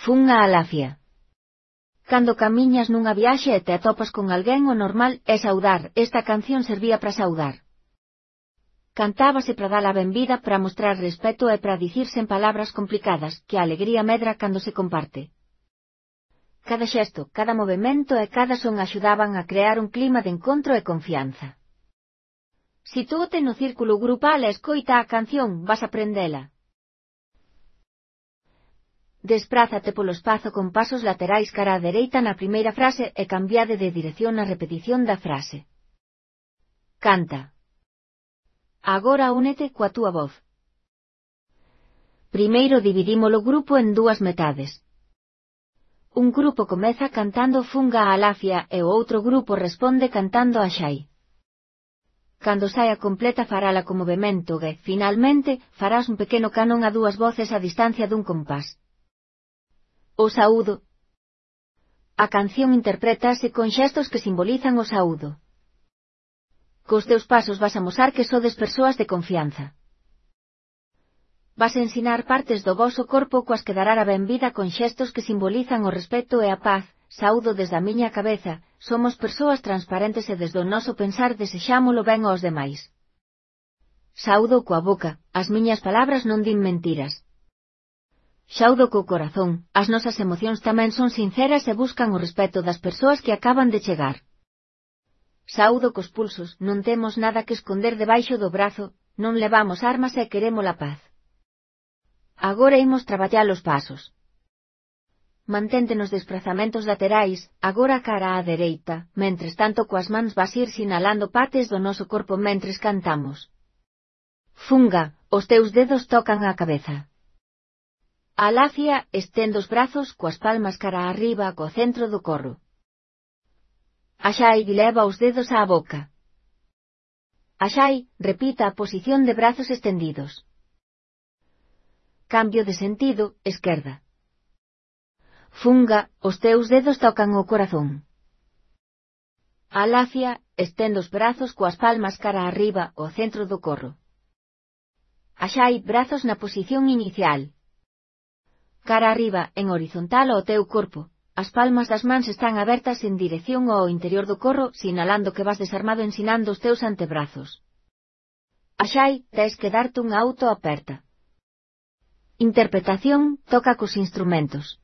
Fun a Alafia. Cando camiñas nunha viaxe e te atopas con alguén, o normal é saudar. Esta canción servía para saudar. Cantábase para dar a benvida, para mostrar respeto e para dicir sen palabras complicadas, que a alegría medra cando se comparte. Cada xesto, cada movemento e cada son axudaban a crear un clima de encontro e confianza. Sitúate no círculo grupal e escoita a canción, vas a aprendela. Desprázate polo espazo con pasos laterais cara á dereita na primeira frase e cambiade de dirección na repetición da frase. Canta. Agora únete coa túa voz. Primeiro dividimos o grupo en dúas metades. Un grupo comeza cantando Funga a Alafia e o outro grupo responde cantando Axai. Cando saia completa farala con movemento e, finalmente, farás un pequeno canon a dúas voces a distancia dun compás. O saúdo. A canción interprétase con xestos que simbolizan o saúdo. Cos teus pasos vas a mostrar que sodes persoas de confianza. Vas a ensinar partes do voso corpo coas que dará a benvida con xestos que simbolizan o respeto e a paz. Saúdo desde a miña cabeza, somos persoas transparentes e desde o noso pensar desexámolo ben aos demais. Saúdo coa boca, as miñas palabras non din mentiras. Saúdo co corazón, as nosas emocións tamén son sinceras e buscan o respeto das persoas que acaban de chegar. Saúdo cos pulsos, non temos nada que esconder debaixo do brazo, non levamos armas e queremos a paz. Agora imos traballar os pasos. Mantente nos desprazamentos laterais, agora cara á dereita, mentres tanto coas mans vas ir sinalando partes do noso corpo mentres cantamos. Funga, os teus dedos tocan a cabeza. Alafia, estende os brazos coas palmas cara arriba co centro do corro. Axai, leva os dedos á boca. Axai, repita a posición de brazos estendidos. Cambio de sentido, esquerda. Funga, os teus dedos tocan o corazón. Alafia, estende os brazos coas palmas cara arriba ao centro do corro. Axai, brazos na posición inicial. Cara arriba, en horizontal ao teu corpo. As palmas das mans están abertas en dirección ao interior do corro, sinalando que vas desarmado ensinando os teus antebrazos. Axai, tes que darte unha autoaperta. Interpretación, toca cos instrumentos.